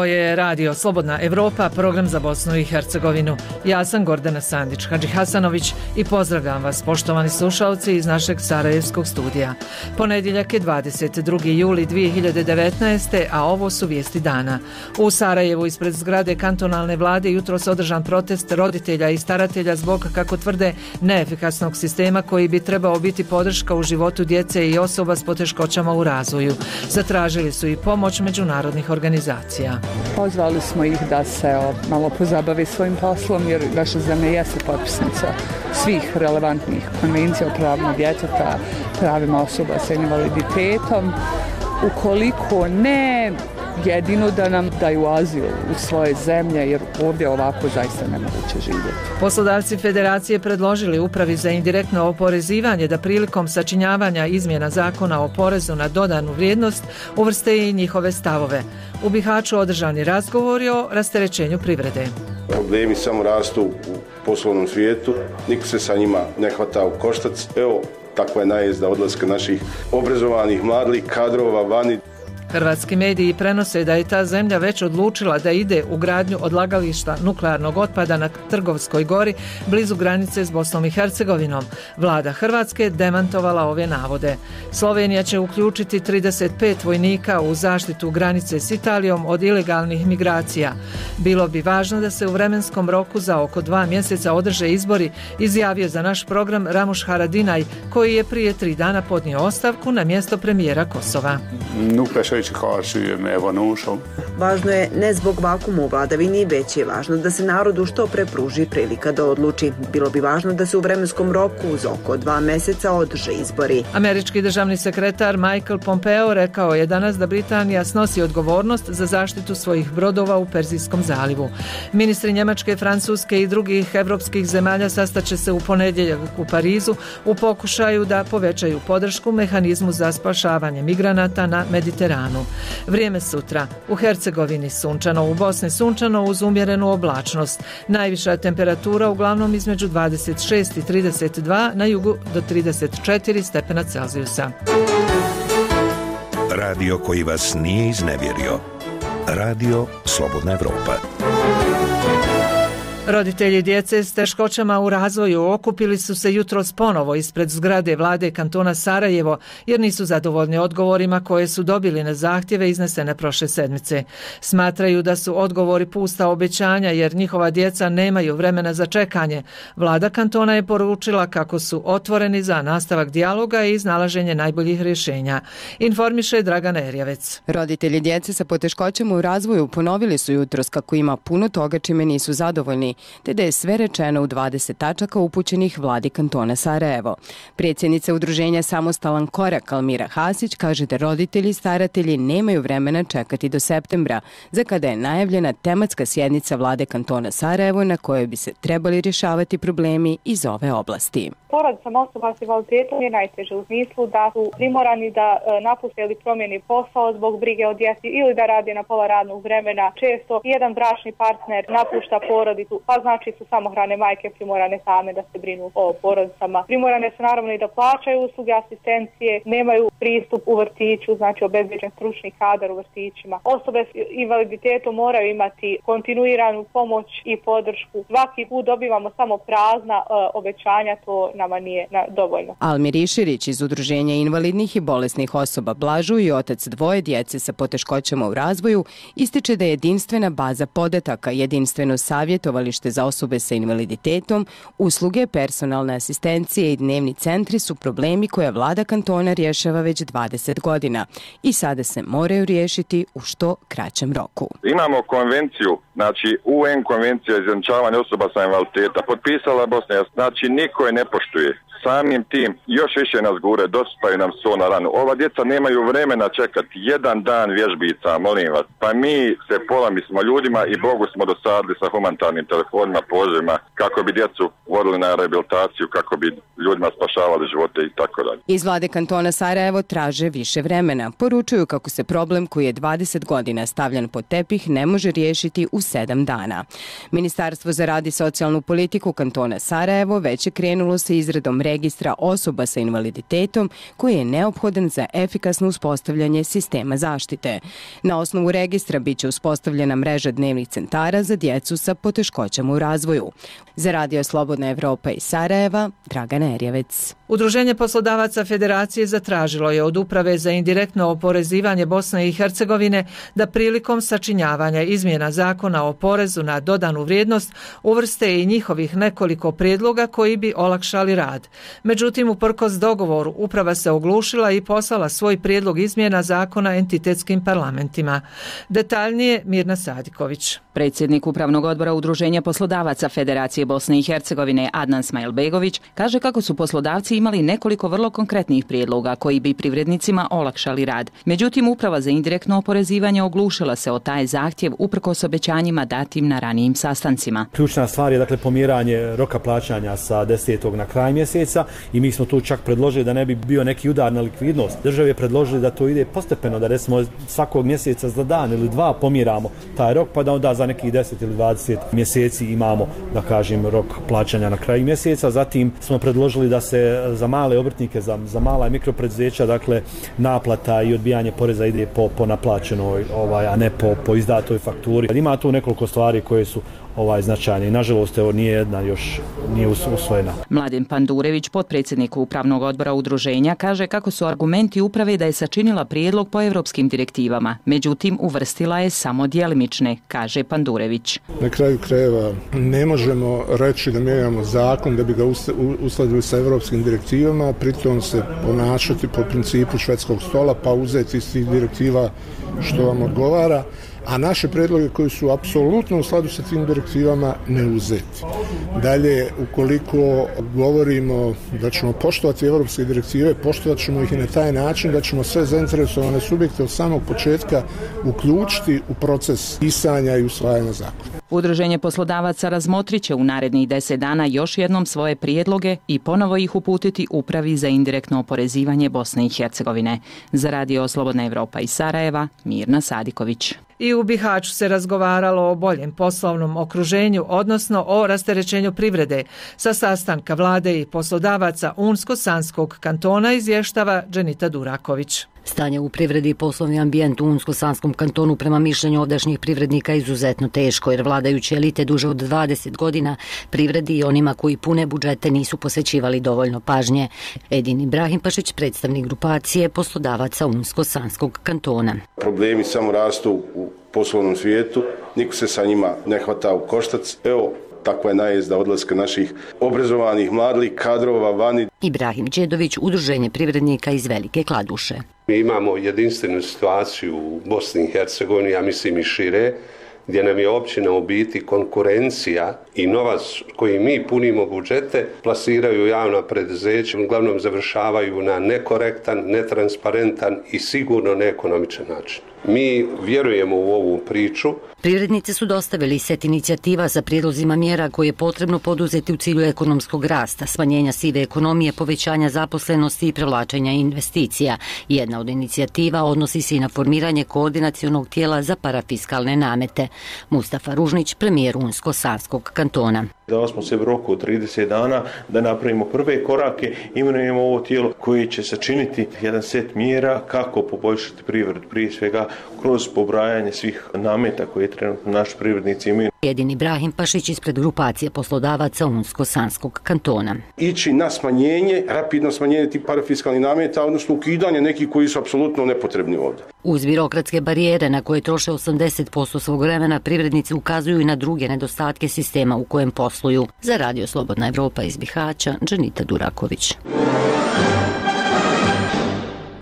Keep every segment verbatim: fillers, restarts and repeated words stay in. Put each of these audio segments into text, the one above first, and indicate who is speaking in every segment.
Speaker 1: Ovo je radio Slobodna Evropa, program za Bosnu i Hercegovinu. Ja sam Gordana Sandić Hadži Hasanović i pozdravljam vas, poštovani slušalci, iz našeg sarajevskog studija. Ponedjeljak je dvadeset drugi juli dvije hiljade devetnaeste. a ovo su vijesti dana. U Sarajevu ispred zgrade kantonalne vlade jutros održan protest roditelja i staratelja zbog, kako tvrde, neefikasnog sistema koji bi trebao biti podrška u životu djece i osoba s poteškoćama u razvoju. Zatražili su i pomoć međunarodnih organizacija.
Speaker 2: Pozvali smo ih da se malo pozabavi svojim poslom jer naša zemlja jeste potpisnica svih relevantnih konvencija o pravima djeteta, pravima osoba sa invaliditetom. Ukoliko ne, jedino da nam daju azil u svoje zemlje, jer ovdje ovako zaista nemoguće živjeti.
Speaker 1: Poslodavci Federacije predložili Upravi za indirektno oporezivanje da prilikom sačinjavanja izmjena zakona o porezu na dodanu vrijednost uvrste i njihove stavove. U Bihaću održani razgovori o rasterećenju privrede.
Speaker 3: Problemi samo rastu u poslovnom svijetu, niko se sa njima ne hvata u koštac. Evo, takva je najezda odlaska naših obrazovanih mladih kadrova vani.
Speaker 1: Hrvatski mediji prenose da je ta zemlja već odlučila da ide u gradnju odlagališta nuklearnog otpada na Trgovskoj gori blizu granice s Bosnom i Hercegovinom. Vlada Hrvatske demantovala ove navode. Slovenija će uključiti trideset pet vojnika u zaštitu granice s Italijom od ilegalnih migracija. Bilo bi važno da se u vremenskom roku za oko dva mjeseca održe izbori, izjavio za naš program Ramush Haradinaj, koji je prije tri dana podnio ostavku na mjesto premijera Kosova.
Speaker 4: Važno je ne zbog vakuma u vladavini, već je važno da se narodu što pre pruži prilika da odluči. Bilo bi važno da se u vremenskom roku za oko dva mjeseca održe izbori.
Speaker 1: Američki državni sekretar Michael Pompeo rekao je danas da Britanija snosi odgovornost za zaštitu svojih brodova u Perzijskom zalivu. Ministri Njemačke, Francuske i drugih evropskih zemalja sastaće se u ponedjeljak u Parizu u pokušaju da povećaju podršku mehanizmu za spašavanje migranata na Mediteranu. Vrijeme sutra. U Hercegovini sunčano, u Bosni sunčano uz umjerenu oblačnost. Najviša temperatura uglavnom između dvadeset šest i trideset dva, na jugu do trideset četiri stepena Celzijusa.
Speaker 5: Radio koji vas nije iznevjerio. Radio Slobodna Evropa.
Speaker 1: Roditelji djece s teškoćama u razvoju okupili su se jutros ponovo ispred zgrade vlade kantona Sarajevo jer nisu zadovoljni odgovorima koje su dobili na zahtjeve iznesene prošle sedmice. Smatraju da su odgovori pusta obećanja jer njihova djeca nemaju vremena za čekanje. Vlada kantona je poručila kako su otvoreni za nastavak dijaloga i iznalaženje najboljih rješenja. Informiše Dragana Erjavec.
Speaker 6: Roditelji djece sa poteškoćama u razvoju ponovili su jutros kako ima puno toga čime nisu zadovoljni, te da je sve rečeno u dvadeset tačaka upućenih vladi kantona Sarajevo. Predsjednica udruženja Samostalan korak Almira Hasić kaže da roditelji i staratelji nemaju vremena čekati do septembra, za kada je najavljena tematska sjednica vlade kantona Sarajevo na kojoj bi se trebali rješavati problemi iz ove oblasti.
Speaker 7: Porodicama osoba s invaliditetom je najteže u smislu da su primorani da napuste ili promijeni posao zbog brige o djeci ili da rade na pola radnog vremena. Često jedan bračni partner napušta porodicu, pa znači su samohrane majke primorane same da se brinu o porodicama. Primorane su naravno i da plaćaju usluge asistencije, nemaju pristup u vrtiću, znači obezbeđen stručni kadar u vrtićima. Osobe s invaliditetom moraju imati kontinuiranu pomoć i podršku. Svaki put dobivamo samo prazna uh, obećanja, to nama nije na, dovoljno.
Speaker 6: Almir Iširić iz Udruženja invalidnih i bolesnih osoba Blažu i otac dvoje djece sa poteškoćama u razvoju ističe da je jedinstvena baza podataka, jedinstveno savjetovalište za osobe sa invaliditetom, usluge, personalne asistencije i dnevni centri su problemi koje vlada kantona rješava već dvadeset godina i sada se moraju riješiti u što kraćem roku.
Speaker 8: Imamo konvenciju, znači U N konvencija za izjednačavanje osoba sa invaliditetom, potpisala Bosna, znači niko je ne poštuje. Samim tim još više nas gure, dosipaju nam so na ranu. Ova djeca nemaju vremena čekati jedan dan vježbica, molim vas. Pa mi se pola, mi smo ljudima i Bogu smo dosadili sa humanitarnim telefonima, pozivima kako bi djecu vodili na rehabilitaciju kako bi ljudima spašavali živote i tako dalje.
Speaker 6: Iz vlade kantona Sarajevo traže više vremena. Poručuju kako se problem koji je dvadeset godina stavljan pod tepih ne može riješiti u sedam dana. Ministarstvo za rad i socijalnu politiku kantona Sarajevo već je krenulo sa izradom registra osoba sa invaliditetom koji je neophodan za efikasno uspostavljanje sistema zaštite. Na osnovu registra bit će uspostavljena mreža dnevnih centara za djecu sa poteškoćama u razvoju. Za Radio Slobodna Evropa iz Sarajeva, Dragana Erjevec.
Speaker 1: Udruženje poslodavaca Federacije zatražilo je od Uprave za indirektno oporezivanje Bosne i Hercegovine da prilikom sačinjavanja izmjena zakona o porezu na dodanu vrijednost uvrste i njihovih nekoliko prijedloga koji bi olakšali rad. Međutim, uprkos dogovoru, Uprava se oglušila i poslala svoj prijedlog izmjena zakona entitetskim parlamentima. Detaljnije Mirna Sadiković.
Speaker 9: Predsjednik Upravnog odbora Udruženja poslodavaca Federacije Bosne i Hercegovine Adnan Smajlbegović kaže kako su poslodavci imali nekoliko vrlo konkretnih prijedloga koji bi privrednicima olakšali rad. Međutim, Uprava za indirektno oporezivanje oglušila se o taj zahtjev uprkos obećanjima datim na ranijim sastancima.
Speaker 10: Ključna stvar je dakle pomjeranje roka plaćanja sa desetog na kraj mjeseca i mi smo tu čak predložili da ne bi bio neki udar na likvidnost. Državi je predložili da to ide postepeno, da recimo svakog mjeseca za dan ili dva pomjeramo taj rok pa da onda za nekih deset ili dvadeset mjeseci imamo, da kažem, rok plaćanja na kraju mjeseca. Zatim smo predložili da se za male obrtnike, za, za mala i mikropreduzeća, dakle, naplata i odbijanje poreza ide po, po naplaćenoj, ovaj, a ne po, po izdatoj fakturi. Ima tu nekoliko stvari koje su ovaj značajne i nažalost evo nije jedna još nije usvojena.
Speaker 9: Mladen Pandurević, potpredsjednik Upravnog odbora udruženja, kaže kako su argumenti uprave da je sačinila prijedlog po europskim direktivama, međutim uvrstila je samo djelimične, kaže Pandurević.
Speaker 11: Na kraju krajeva ne možemo reći da mijenjamo zakon da bi ga uskladili sa europskim direktivama, pritom se ponašati po principu švedskog stola pa uzeti iz tih direktiva što vam odgovara, a naše predloge koji su apsolutno u skladu sa tim direktivama ne uzeti. Dalje, ukoliko govorimo da ćemo poštovati evropske direktive, poštovat ćemo ih i na taj način da ćemo sve zainteresovane subjekte od samog početka uključiti u proces pisanja i usvajanja zakona.
Speaker 9: Udruženje poslodavaca razmotrit će u narednih deset dana još jednom svoje prijedloge i ponovo ih uputiti Upravi za indirektno oporezivanje Bosne i Hercegovine. Za Radio Slobodna Evropa iz Sarajeva, Mirna Sadiković.
Speaker 1: I u Bihaću se razgovaralo o boljem poslovnom okruženju, odnosno o rasterećenju privrede. Sa sastanka vlade i poslodavaca Unsko-Sanskog kantona izvještava Dženita Duraković.
Speaker 12: Stanje u privredi i poslovni ambijent u Unsko-Sanskom kantonu prema mišljenju ovdašnjih privrednika izuzetno teško, jer vladajuće elite duže od dvadeset godina privredi i onima koji pune budžete nisu posvećivali dovoljno pažnje. Edin Ibrahimpašić, predstavnik grupacije poslodavaca Unsko-Sanskog kantona.
Speaker 3: Problemi samo rastu u poslovnom svijetu, niko se sa njima ne hvata u koštac. Evo, takva je najezda odlaska naših obrazovanih mladih kadrova vani.
Speaker 12: Ibrahim Đedović, Udruženje privrednika iz Velike Kladuše.
Speaker 13: Mi imamo jedinstvenu situaciju u Bosni i Hercegovini, ja mislim i šire, gdje nam je općina u biti konkurencija i novac koji mi punimo budžete plasiraju javna preduzeća, uglavnom završavaju na nekorektan, netransparentan i sigurno neekonomičan način. Mi vjerujemo u ovu priču.
Speaker 12: Privrednici su dostavili set inicijativa sa prijedlozima mjera koje je potrebno poduzeti u cilju ekonomskog rasta, smanjenja sive ekonomije, povećanja zaposlenosti i privlačenja investicija. Jedna od inicijativa odnosi se i na formiranje koordinacionog tijela za parafiskalne namete. Mustafa Ružnić, premijer Unsko-Sanskog kantona.
Speaker 14: Dali smo se u roku od trideset dana da napravimo prve korake, imenujemo ovo tijelo koje će sačiniti jedan set mjera kako poboljšati privredu, prije svega kroz pobrajanje svih nameta koje trenutno naši privrednici imaju.
Speaker 12: Edin Ibrahimpašić ispred grupacije poslodavaca Unsko-Sanskog kantona.
Speaker 3: Ići na smanjenje, rapidno smanjenje tih parafiskalnih nameta, odnosno ukidanje nekih koji su apsolutno nepotrebni ovdje.
Speaker 12: Uz birokratske barijere na koje troše osamdeset posto svog vremena, privrednici ukazuju i na druge nedostatke sistema u kojem posluju. Za Radio Slobodna Evropa iz Bihaća, Dženita Duraković.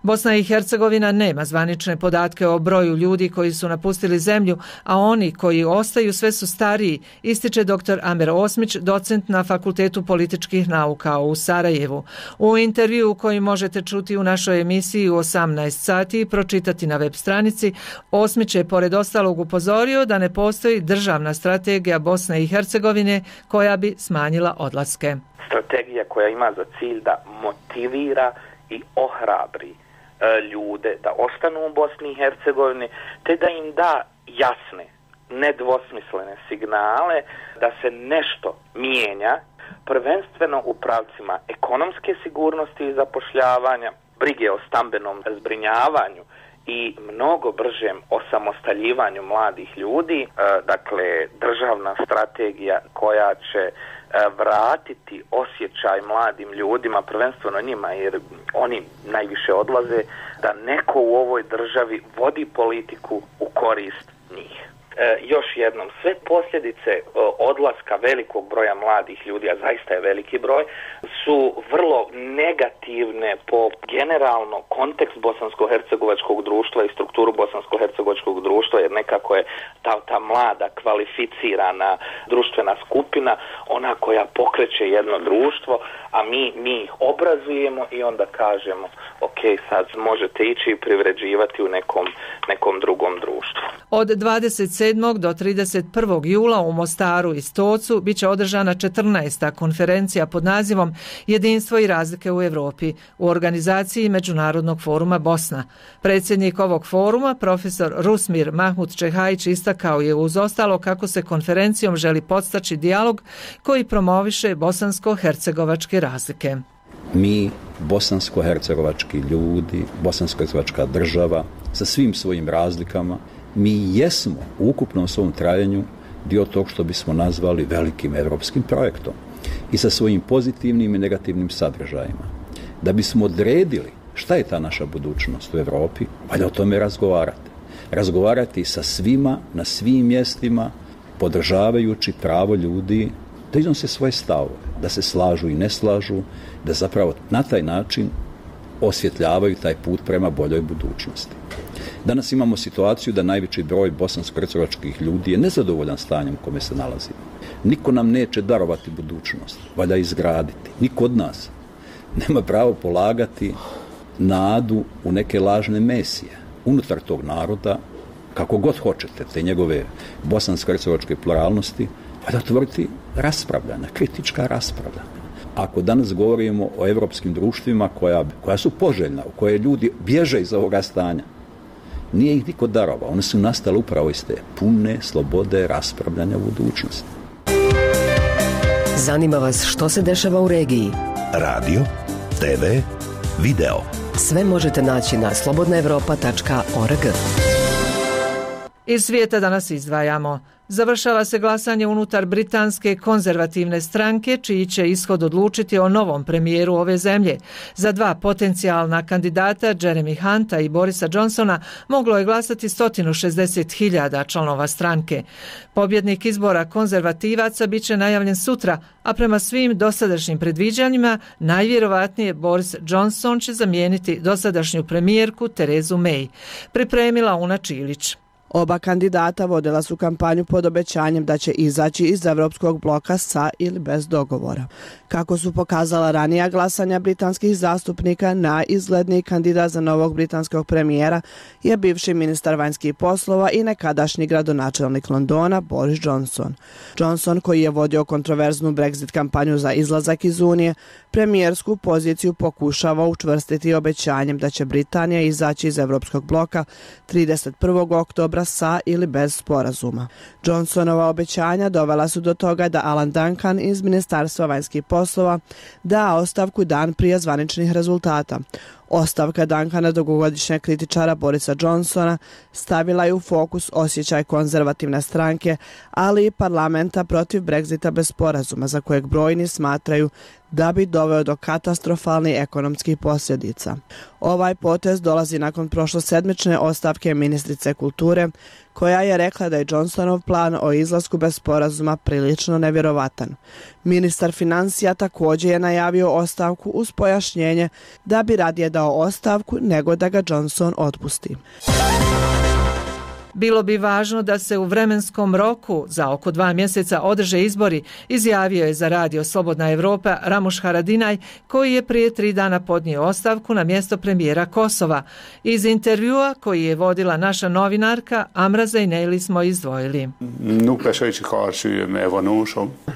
Speaker 1: Bosna i Hercegovina nema zvanične podatke o broju ljudi koji su napustili zemlju, a oni koji ostaju sve su stariji, ističe dr. Amer Osmić, docent na Fakultetu političkih nauka u Sarajevu. U intervju koji možete čuti u našoj emisiji u osamnaest sati i pročitati na web stranici, Osmić je pored ostalog upozorio da ne postoji državna strategija Bosne i Hercegovine koja bi smanjila odlaske.
Speaker 15: Strategija koja ima za cilj da motivira i ohrabri ljude da ostanu u Bosni i Hercegovini, te da im da jasne, nedvosmislene signale da se nešto mijenja, prvenstveno u pravcima ekonomske sigurnosti i zapošljavanja, brige o stambenom zbrinjavanju i mnogo bržem osamostaljivanju mladih ljudi, dakle državna strategija koja će vratiti osjećaj mladim ljudima, prvenstveno njima, jer oni najviše odlaze, da neko u ovoj državi vodi politiku u korist njih. E, još jednom, sve posljedice e, odlaska velikog broja mladih ljudi, a zaista je veliki broj, su vrlo negativne po generalno kontekst bosansko-hercegovačkog društva i strukturu bosansko-hercegovačkog društva, jer nekako je ta, ta mlada, kvalificirana društvena skupina ona koja pokreće jedno društvo, a mi, mi ih obrazujemo i onda kažemo ok, sad možete ići i privređivati u nekom, nekom drugom društvu.
Speaker 1: Od dvadeset sedmog do trideset prvog jula u Mostaru i Stocu biće održana četrnaesta konferencija pod nazivom Jedinstvo i razlike u Europi u organizaciji Međunarodnog foruma Bosna. Predsjednik ovog foruma, profesor Rusmir Mahmud Čehajić, istakao je uz ostalo kako se konferencijom želi podstaći dijalog koji promoviše bosansko-hercegovačke razlike.
Speaker 16: Mi, bosansko-hercegovački ljudi, bosansko-hercegovačka država, sa svim svojim razlikama, mi jesmo u ukupnom svom trajanju dio tog što bismo nazvali velikim evropskim projektom i sa svojim pozitivnim i negativnim sadržajima. Da bismo odredili šta je ta naša budućnost u Europi, valja o tome razgovarati. Razgovarati sa svima, na svim mjestima, podržavajući pravo ljudi da iznose svoje stavove, da se slažu i ne slažu, da zapravo na taj način osvjetljavaju taj put prema boljoj budućnosti. Danas imamo situaciju da najveći broj bosansko-hercegovačkih ljudi je nezadovoljan stanjem u kome se nalazimo. Niko nam neće darovati budućnost, valja izgraditi. Niko od nas nema pravo polagati nadu u neke lažne mesije. Unutar tog naroda, kako god hoćete, te njegove bosansko-hercegovačke pluralnosti, valja otvoriti raspravljanja, kritička raspravljanja. Ako danas govorimo o evropskim društvima koja, koja su poželjna, u koje ljudi bježe iz ovoga stanja, nije ih niko darovao. One su nastale upravo iz te pune slobode raspravljanja u budućnosti.
Speaker 17: Zanima vas što se dešava u regiji?
Speaker 5: Radio, te ve, video.
Speaker 17: Sve možete naći na slobodna evropa tačka org.
Speaker 1: Iz svijeta danas izdvajamo. Završava se glasanje unutar britanske konzervativne stranke, čiji će ishod odlučiti o novom premijeru ove zemlje. Za dva potencijalna kandidata, Jeremy Hunta i Borisa Johnsona, moglo je glasati sto šezdeset hiljada članova stranke. Pobjednik izbora konzervativaca bit će najavljen sutra, a prema svim dosadašnjim predviđanjima, najvjerovatnije Boris Johnson će zamijeniti dosadašnju premijerku Terezu May. Pripremila Una Čilić.
Speaker 18: Oba kandidata vodila su kampanju pod obećanjem da će izaći iz evropskog bloka sa ili bez dogovora. Kako su pokazala ranija glasanja britanskih zastupnika, najizgledniji kandidat za novog britanskog premijera je bivši ministar vanjskih poslova i nekadašnji gradonačelnik Londona Boris Johnson. Johnson, koji je vodio kontroverznu Brexit kampanju za izlazak iz Unije, premijersku poziciju pokušava učvrstiti obećanjem da će Britanija izaći iz evropskog bloka trideset prvog oktobra sa ili bez sporazuma. Johnsonova obećanja dovela su do toga da Alan Duncan iz Ministarstva vanjskih poslova da ostavku dan prije zvaničnih rezultata. Ostavka Duncana, dugogodišnjeg kritičara Borisa Johnsona, stavila je u fokus osjećaj konzervativne stranke, ali i parlamenta protiv Brexita bez sporazuma, za kojeg brojni smatraju da bi doveo do katastrofalnih ekonomskih posljedica. Ovaj potez dolazi nakon prošlosedmične ostavke ministrice kulture, koja je rekla da je Johnsonov plan o izlasku bez sporazuma prilično nevjerovatan. Ministar financija također je najavio ostavku uz pojašnjenje da bi radije dao ostavku nego da ga Johnson otpusti.
Speaker 1: Bilo bi važno da se u vremenskom roku za oko dva mjeseca održe izbori, izjavio je za radio Slobodna Evropa Ramuš Haradinaj, koji je prije tri dana podnio ostavku na mjesto premijera Kosova. Iz intervjua koji je vodila naša novinarka Amra Zeyneli smo izdvojili.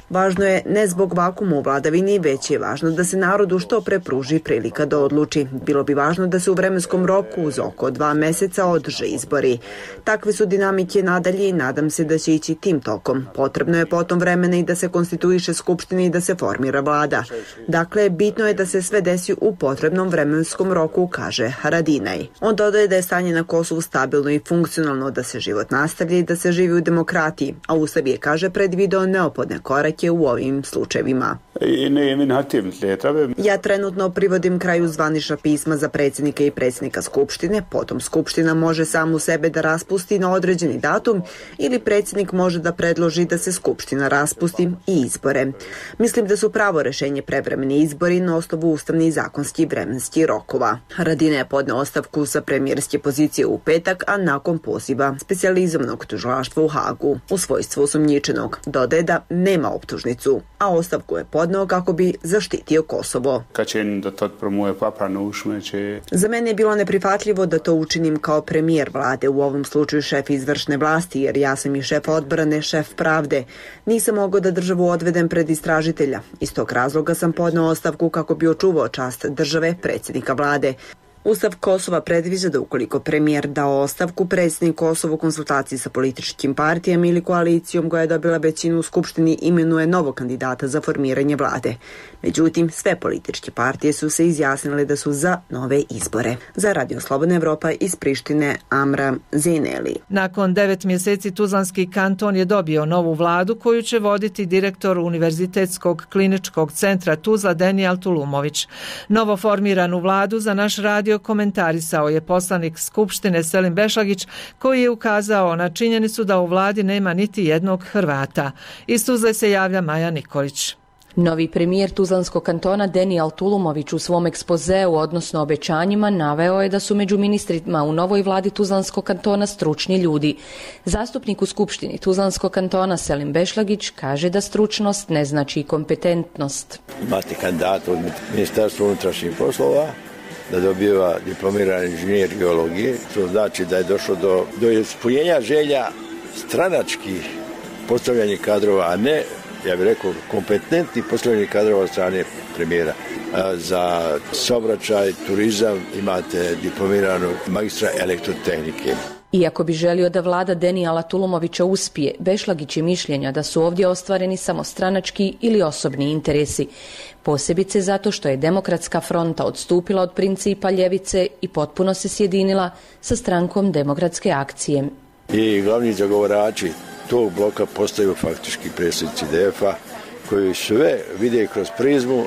Speaker 4: Važno je ne zbog vakuma u vladavini, već je važno da se narodu što pre pruži prilika da odluči. Bilo bi važno da se u vremenskom roku za oko dva mjeseca održe izbori. Takve su dinamike nadalje i nadam se da će ići tim tokom. Potrebno je potom vremena i da se konstituiše skupština i da se formira vlada. Dakle, bitno je da se sve desi u potrebnom vremenskom roku, kaže Haradinaj. On dodaje da je stanje na Kosovu stabilno i funkcionalno, da se život nastavlja i da se živi u demokratiji, a Ustav je, kaže, predvideo neophodne korake u ovim slučajevima. Ja trenutno privodim kraju zvanična pisma za predsjednika i predsjednika skupštine, potom skupština može samu sebe da raspusti na određeni datum ili predsjednik može da predloži da se skupština raspusti i izbore. Mislim da su pravo rešenje prevremeni izbori na osnovu ustavnih i zakonskih vremenskih rokova. Haradinaj je podneo ostavku sa premijerske pozicije u petak, a nakon poziva specijalizovanog tužilaštva u Hagu u svojstvu osumnjičenog. Dodaje da nema optužnicu, a ostavku je podneo kako bi zaštitio Kosovo. Za mene je bilo neprihvatljivo da to učinim kao premijer vlade, u ovom slučaju šef izvršne vlasti, jer ja sam i šef odbrane, šef pravde. Nisam mogao da državu odvedem pred istražitelja. Iz tog razloga sam podneo ostavku kako bi očuvao čast države, predsjednika vlade. Ustav Kosova predviđa da ukoliko premijer dao ostavku, predsjednik Kosova u konsultaciji sa političkim partijama ili koalicijom koja je dobila većinu u skupštini imenuje novog kandidata za formiranje vlade. Međutim, sve političke partije su se izjasnile da su za nove izbore. Za Radio Slobodna Evropa iz Prištine, Amra Zeyneli.
Speaker 1: Nakon devet mjeseci Tuzlanski kanton je dobio novu vladu koju će voditi direktor Univerzitetskog kliničkog centra Tuzla Denijal Tulumović. Novo formiranu vladu za naš radio komentarisao je poslanik Skupštine Selim Bešlagić, koji je ukazao na činjenicu da u vladi nema niti jednog Hrvata. Iz Tuzle se javlja Maja Nikolić.
Speaker 19: Novi premijer Tuzlanskog kantona Denijal Tulumović u svom ekspozeu, odnosno obećanjima, naveo je da su među ministrima u novoj vladi Tuzlanskog kantona stručni ljudi. Zastupnik u Skupštini Tuzlanskog kantona Selim Bešlagić kaže da stručnost ne znači kompetentnost.
Speaker 20: Imate kandidata od Ministarstva unutrašnjih poslova da dobiva diplomirani inženjer geologije, to znači da je došlo do, do ispunjenja želja stranačkih postavljanih kadrova, a ne, ja bih rekao, kompetentnih postavljanih kadrova od strane premijera. A za saobraćaj, turizam imate diplomiranog magistra elektrotehnike.
Speaker 19: Iako bi želio da vlada Denijala Tulumovića uspije, Bešlagić je mišljenja da su ovdje ostvareni samo stranački ili osobni interesi. Posebice zato što je Demokratska fronta odstupila od principa ljevice i potpuno se sjedinila sa strankom Demokratske akcije.
Speaker 20: I glavni zagovarači tog bloka postaju faktički predsjednici D F A, koji sve vide kroz prizmu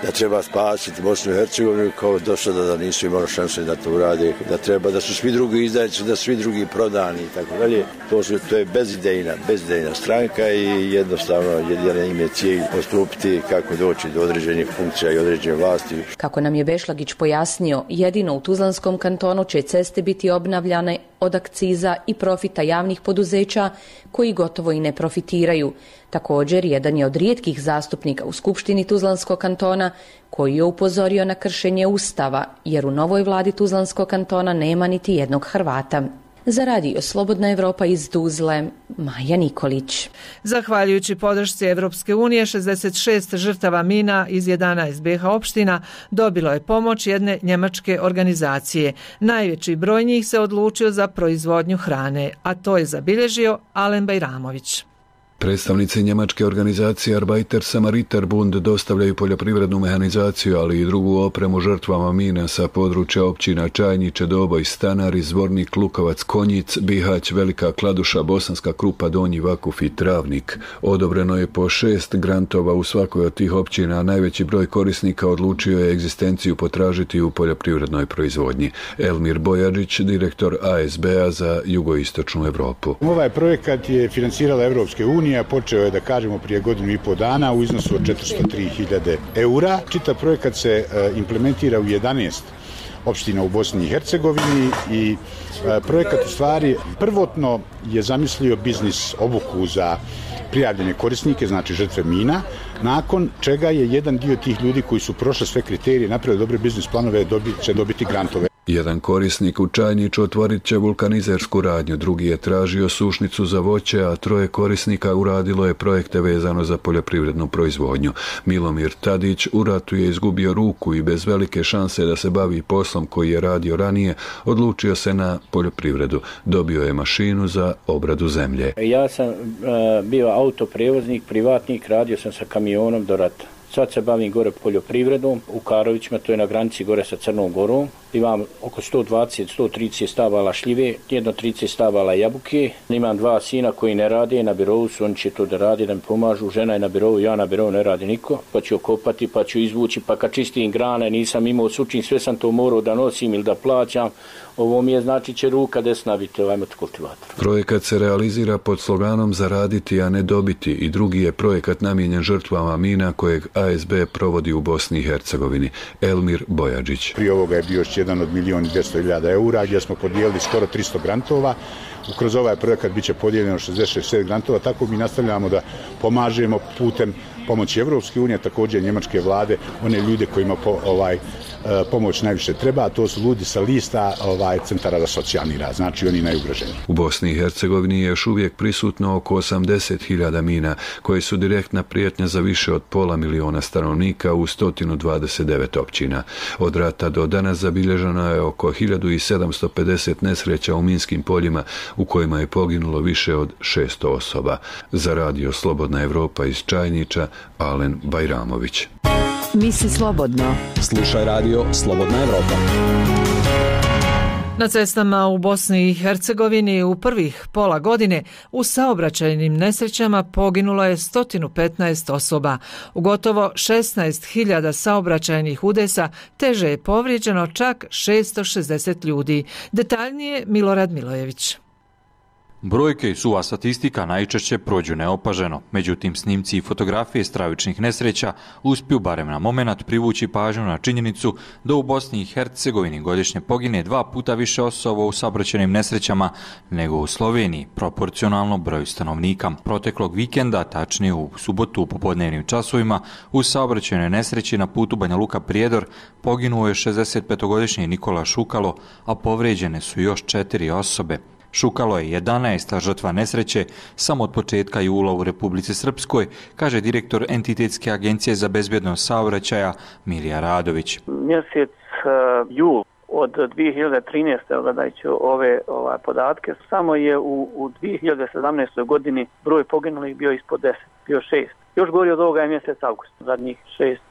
Speaker 20: da treba spasiti Bosnu i Hercegovinu, kao do sada da nisu imali šanse da to urade, da treba, da su svi drugi izdajci, da svi drugi prodani i tako dalje. To su, to je bezidejna, bezidejna stranka i jednostavno jedina im je cilj postupiti kako doći do određenih funkcija i određene vlasti.
Speaker 19: Kako nam je Bešlagić pojasnio, jedino u Tuzlanskom kantonu će ceste biti obnavljane od akciza i profita javnih poduzeća koji gotovo i ne profitiraju. Također, jedan je od rijetkih zastupnika u Skupštini Tuzlanskog kantona koji je upozorio na kršenje Ustava, jer u novoj vladi Tuzlanskog kantona nema niti jednog Hrvata. Za radio Slobodna Evropa iz Tuzle, Maja Nikolić.
Speaker 1: Zahvaljujući podršci Evropske unije, šezdeset šest žrtava mina iz jedanaest B iH opština dobilo je pomoć jedne njemačke organizacije. Najveći broj njih se odlučio za proizvodnju hrane, a to je zabilježio Alen Bajramović.
Speaker 21: Predstavnici njemačke organizacije Arbeiter-Samariter-Bund dostavljaju poljoprivrednu mehanizaciju, ali i drugu opremu žrtvama mina sa područja općina Čajniče, Doboj, Stanari, Zvornik, Lukovac, Konjic, Bihać, Velika Kladuša, Bosanska Krupa, Donji Vakuf i Travnik. Odobreno je po šest grantova u svakoj od tih općina, a najveći broj korisnika odlučio je egzistenciju potražiti u poljoprivrednoj proizvodnji. Elmir Bojadžić, direktor A S B-a za jugoistočnu Europu.
Speaker 22: Ovaj projekat je financirala Evropske unije, počeo je, da kažemo, prije godinu i pol dana u iznosu od četiristo tri hiljade eura. Čitav projekat se implementira u jedanaest opština u Bosni i Hercegovini i projekat u stvari prvotno je zamislio biznis obuku za prijavljene korisnike, znači žrtve mina, nakon čega je jedan dio tih ljudi koji su prošli sve kriterije, napravili dobre biznis planove, će dobiti grantove.
Speaker 21: Jedan korisnik u Čajniču otvorit će vulkanizersku radnju, drugi je tražio sušnicu za voće, a troje korisnika uradilo je projekte vezano za poljoprivrednu proizvodnju. Milomir Tadić u ratu je izgubio ruku i bez velike šanse da se bavi poslom koji je radio ranije, odlučio se na poljoprivredu. Dobio je mašinu za obradu zemlje.
Speaker 23: Ja sam uh, bio autoprevoznik, privatnik, radio sam sa kamionom do rata. Sad se bavim gore poljoprivredom u Karovićima, to je na granici gore sa Crnom Gorom. Imam oko sto dvadeset do sto trideset stabala šljive, jedno trideset stabala jabuke. Imam dva sina koji ne rade, na birovu su, oni će to da rade, da mi pomažu. Žena je na birovu, ja na birovu, ne radi niko. Pa ću okopati, pa ću izvući, pa kad čistim grane, nisam imao sučin, sve sam to morao da nosim ili da plaćam. Ovo mi je, znači, će ruka desna biti ovaj motokultivator.
Speaker 21: Projekat se realizira pod sloganom Zaraditi, a ne dobiti, i drugi je projekat namijenjen žrtvama mina kojeg A S B provodi u Bosni i Hercegovini. Elmir Bojadžić.
Speaker 22: Prije ovoga je bio još jedan od milijun i dvjesto hiljada eura, gdje smo podijelili skoro tristo grantova. Kroz ovaj projekat bit će podijeljeno šezdeset šest grantova, tako mi nastavljamo da pomažemo putem pomoći Evropske unije, također njemačke vlade, one ljude kojima po, ovaj, pomoć najviše treba, a to su ljudi sa lista ovaj, centara za socijalni rad, znači oni najugroženiji.
Speaker 21: U Bosni i Hercegovini je još uvijek prisutno oko osamdeset hiljada mina, koje su direktna prijetnja za više od pola miliona stanovnika u sto dvadeset devet općina. Od rata do danas zabilježeno je oko hiljadu sedamsto pedeset nesreća u minskim poljima, u kojima je poginulo više od šesto osoba. Za radio Slobodna Evropa iz Čajniča, Alen Bajramović.
Speaker 17: Misli slobodno.
Speaker 24: Slušaj radio Slobodna Evropa.
Speaker 1: Na cestama u Bosni i Hercegovini u prvih pola godine u saobraćajnim nesrećama poginulo je sto petnaest osoba. U gotovo šesnaest hiljada saobraćajnih udesa teže je povrijeđeno čak šesto šezdeset ljudi. Detaljnije Milorad Milojević.
Speaker 25: Brojke i suva statistika najčešće prođu neopaženo, međutim snimci i fotografije stravičnih nesreća uspiju barem na moment privući pažnju na činjenicu da u Bosni i Hercegovini godišnje pogine dva puta više osoba u saobraćajnim nesrećama nego u Sloveniji, proporcionalno broju stanovnika. Proteklog vikenda, tačnije u subotu u popodnevnim časovima, u saobraćajnoj nesreći na putu Banja Luka-Prijedor poginuo je šezdesetpetogodišnji Nikola Šukalo, a povrijeđene su još četiri osobe. Šukalo je jedanaesta žrtva nesreće samo od početka jula u Republici Srpskoj, kaže direktor Entitetske agencije za bezbjednost saobraćaja Milija Radović.
Speaker 26: Mjesec uh, jul od dvije hiljade trinaeste. gledajući ove ovaj, podatke, samo je u, u dvije hiljade sedamnaestoj. godini broj poginulih bio ispod deset, bio šest. Još gori od ovoga je mjesec avgust, zadnjih šest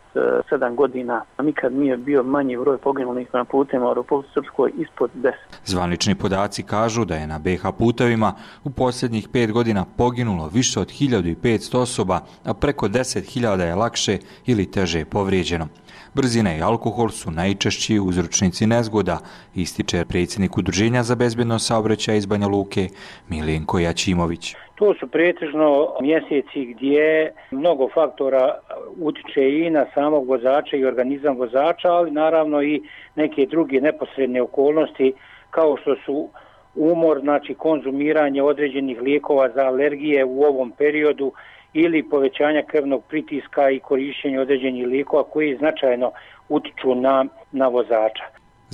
Speaker 26: sedam godina, a nikad nije bio manji broj poginulih na putima u Republici Srpskoj ispod deset.
Speaker 25: Zvanični podaci kažu da je na B iH putevima u posljednjih pet godina poginulo više od hiljadu petsto osoba, a preko deset hiljada je lakše ili teže povrijeđeno. Brzina i alkohol su najčešći uzročnici nezgoda, ističe predsjednik Udruženja za bezbjednost saobraćaja iz Banja Luke Milenko Jačimović.
Speaker 27: To su pretežno mjeseci gdje mnogo faktora utiče i na samog vozača i organizam vozača, ali naravno i neke druge neposredne okolnosti kao što su umor, znači konzumiranje određenih lijekova za alergije u ovom periodu ili povećanja krvnog pritiska i korištenje određenih lijekova koji značajno utiču na, na vozača.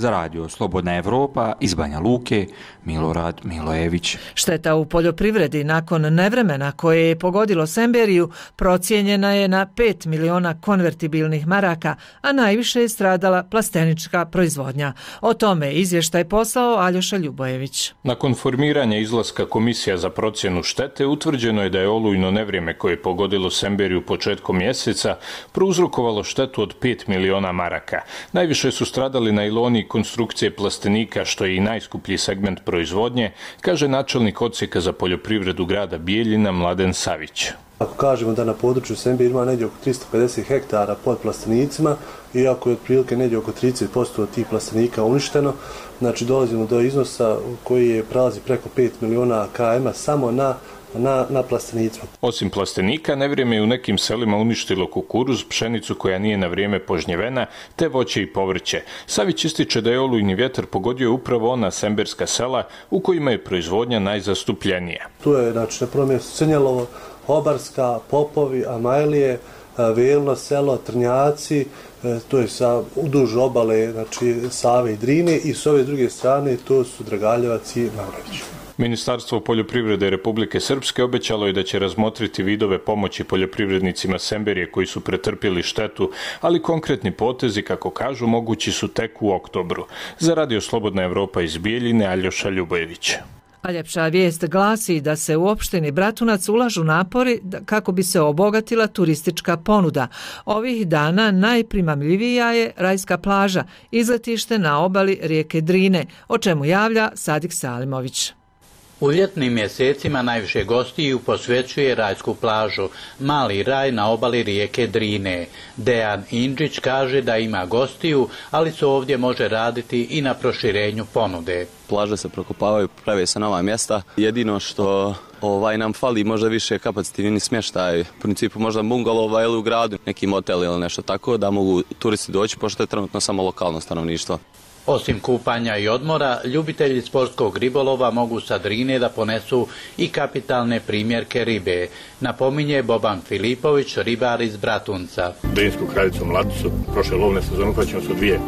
Speaker 25: Za radio Slobodna Evropa iz Banja Luke, Milorad Milojević.
Speaker 1: Šteta u poljoprivredi nakon nevremena koje je pogodilo Semberiju procijenjena je na pet miliona konvertibilnih maraka, a najviše je stradala plastenička proizvodnja. O tome izvještaj poslao Aljoša Ljubojević.
Speaker 2: Nakon formiranja izlaska Komisija za procjenu štete utvrđeno je da je olujno nevrijeme koje je pogodilo Semberiju početkom mjeseca prouzrokovalo štetu od pet miliona maraka. Najviše su stradali najloni i konstrukcije plastenika, što je i najskuplji segment proizvodnje, kaže načelnik odsjeka za poljoprivredu grada Bijeljina Mladen Savić.
Speaker 6: Ako kažemo da na području Semberije ima negdje oko tristo pedeset hektara pod plastenicima, iako je otprilike negdje oko trideset posto od tih plastenika uništeno, znači dolazimo do iznosa koji je prelazi preko pet miliona km samo na Na, na plastenicima.
Speaker 2: Osim plastenika, nevrijeme je u nekim selima uništilo kukuruz, pšenicu koja nije na vrijeme požnjevena, te voće i povrće. Savić ističe da je olujni vjetar pogodio upravo ona semberska sela u kojima je proizvodnja najzastupljenija.
Speaker 6: Tu je, znači, na prvom mjestu Crnjelovo, Obarska, Popovi, Amajlije, Velno selo, Trnjaci, to je sa uduž obale, znači Save i Drine, i s ove druge strane to su Dragaljevac i Mavrović.
Speaker 2: Ministarstvo poljoprivrede Republike Srpske obećalo je da će razmotriti vidove pomoći poljoprivrednicima Semberije koji su pretrpjeli štetu, ali konkretni potezi, kako kažu, mogući su tek u oktobru. Za radio Slobodna Evropa iz Bijeljine, Aljoša Ljubojević.
Speaker 1: A ljepša vijest glasi da se u opštini Bratunac ulažu napori kako bi se obogatila turistička ponuda. Ovih dana najprimamljivija je rajska plaža, izletište na obali rijeke Drine, o čemu javlja Sadik Salimović.
Speaker 7: U ljetnim mjesecima najviše gostiju posvećuje rajsku plažu, mali raj na obali rijeke Drine. Dejan Indžić kaže da ima gostiju, ali se ovdje može raditi i na proširenju ponude.
Speaker 8: Plaže se prokopavaju, prave se nova mjesta. Jedino što ovaj nam fali možda više kapacitivni smještaj, u principu možda bungalova ili u gradu, neki motel ili nešto tako, da mogu turisti doći, pošto je trenutno samo lokalno stanovništvo.
Speaker 7: Osim kupanja i odmora, ljubitelji sportskog ribolova mogu sa Drine da ponesu i kapitalne primjerke ribe, napominje Boban Filipović, ribar iz Bratunca.
Speaker 9: Drinsku kraljicu mladicu, prošle lovne sezone uhvaćeno su dvije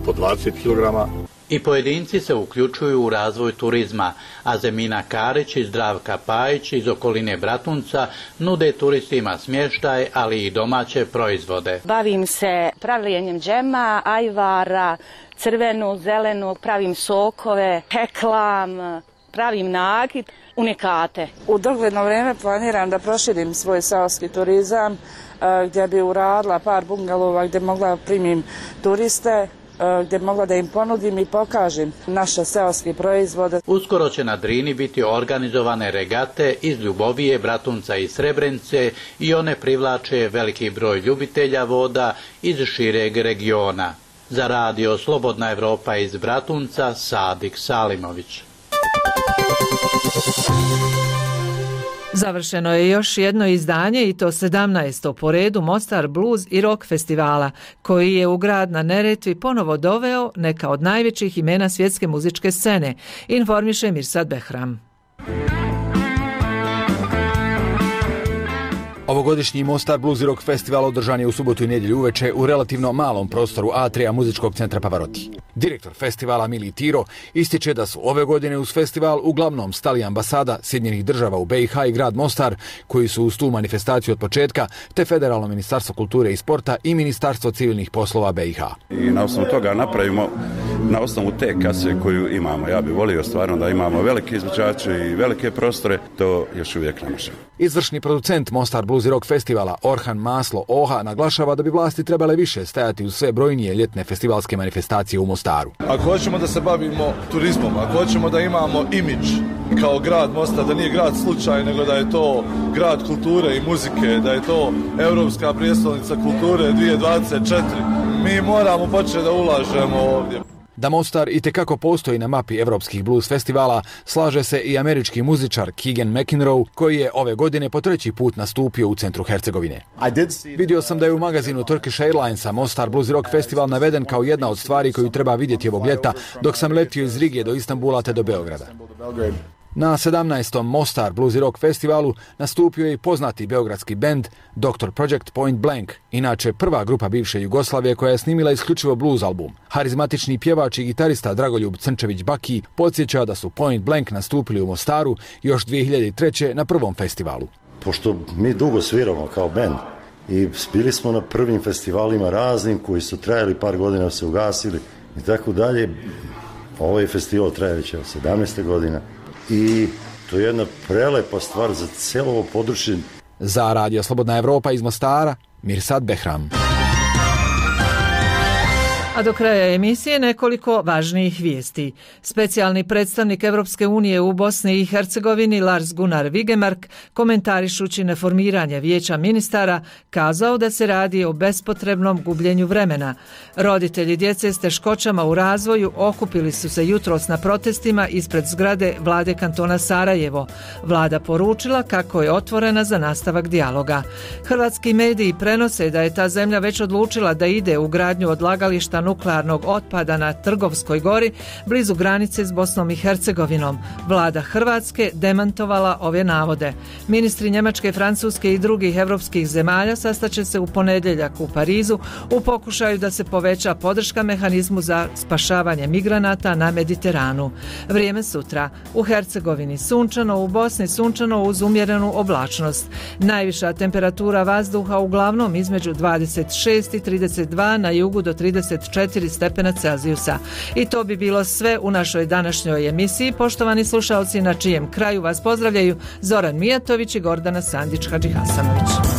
Speaker 9: po dvadeset kilograma.
Speaker 7: I pojedinci se uključuju u razvoj turizma, a Zemina Karić i Zdravka Pajić iz okoline Bratunca nude turistima smještaj, ali i domaće proizvode.
Speaker 10: Bavim se pravljenjem džema, ajvara, crvenu, zelenu, pravim sokove, heklam, pravim nakit, unikate.
Speaker 11: U dogledno vrijeme planiram da proširim svoj seoski turizam, gdje bi uradila par bungalova gdje mogla primim turiste, gdje mogla da im ponudim i pokažem naše seoske proizvode.
Speaker 7: Uskoro će na Drini biti organizovane regate iz Ljubovije, Bratunca i Srebrenice i one privlače veliki broj ljubitelja voda iz šireg regiona. Za radio Slobodna Evropa iz Bratunca, Sadik Salimović.
Speaker 1: Završeno je još jedno izdanje, i to sedamnaesto po redu Mostar Blues i Rock festivala, koji je u grad na Neretvi ponovo doveo neka od najvećih imena svjetske muzičke scene, informiše Mirsad Behram.
Speaker 28: Ovogodišnji Mostar Blues i Rock festival održan je u subotu i nedjelju uveče u relativno malom prostoru Atrija muzičkog centra Pavaroti. Direktor festivala Mili Tiro ističe da su ove godine uz festival uglavnom stali ambasada Sjedinjenih država u B i H i grad Mostar, koji su uz tu manifestaciju od početka, te Federalno ministarstvo kulture i sporta i Ministarstvo civilnih poslova B i H.
Speaker 29: I na osnovu toga napravimo, na osnovu te kase koju imamo. Ja bih volio stvarno da imamo velike izvođače i velike prostore, to još uvijek ne možemo.
Speaker 28: Izvršni producent Mostar Blues i Rock festivala Orhan Maslo Oha naglašava da bi vlasti trebale više stajati uz sve brojnije ljetne festivalske manifestacije u Mostaru.
Speaker 30: Ako hoćemo da se bavimo turizmom, ako hoćemo da imamo imidž kao grad Mostar, da nije grad slučaj, nego da je to grad kulture i muzike, da je to Europska prijestolnica kulture dvije tisuće dvadeset četiri, mi moramo početi da ulažemo ovdje.
Speaker 28: Da Mostar itekako postoji na mapi evropskih blues festivala, slaže se i američki muzičar Keegan McEnroe, koji je ove godine po treći put nastupio u centru Hercegovine. Vidio sam da je u magazinu Turkish Airlinesa Mostar Blues i Rock festival naveden kao jedna od stvari koju treba vidjeti ovog ljeta, dok sam letio iz Rige do Istanbula te do Beograda. Na sedamnaestom Mostar Blues i Rock festivalu nastupio je i poznati beogradski bend doktor Project Point Blank, inače prva grupa bivše Jugoslavije koja je snimila isključivo blues album. Harizmatični pjevač i gitarista Dragoljub Crnčević-Baki podsjeća da su Point Blank nastupili u Mostaru još dvije hiljade treće. na prvom festivalu.
Speaker 3: Pošto mi dugo sviramo kao bend i bili smo na prvim festivalima raznim koji su trajali par godina, se ugasili i tako dalje, ovaj festival traje već sedamnaest godina. I to je jedna prelepa stvar za cijelo ovo područje.
Speaker 28: Za Radio Slobodna Evropa iz Mostara, Mirsad Behram.
Speaker 1: A do kraja emisije nekoliko važnijih vijesti. Specijalni predstavnik Evropske unije u Bosni i Hercegovini Lars Gunnar Vigemark, komentarišući neformiranje vijeća ministara, kazao da se radi o bespotrebnom gubljenju vremena. Roditelji djece s teškoćama u razvoju okupili su se jutros na protestima ispred zgrade vlade kantona Sarajevo. Vlada poručila kako je otvorena za nastavak dijaloga. Hrvatski mediji prenose da je ta zemlja već odlučila da ide u gradnju odlagališta nuklearnog otpada na Trgovskoj gori, blizu granice s Bosnom i Hercegovinom. Vlada Hrvatske demantovala ove navode. Ministri Njemačke, Francuske i drugih evropskih zemalja sastaće se u ponedjeljak u Parizu u pokušaju da se poveća podrška mehanizmu za spašavanje migranata na Mediteranu. Vrijeme sutra. U Hercegovini sunčano, u Bosni sunčano uz umjerenu oblačnost. Najviša temperatura vazduha uglavnom između dvadeset šest i trideset dva, na jugu do trideset četiri stepena Celzijusa. I to bi bilo sve u našoj današnjoj emisiji. Poštovani slušalci, na čijem kraju vas pozdravljaju Zoran Mijatović i Gordana Sandić-Hadžihasanović.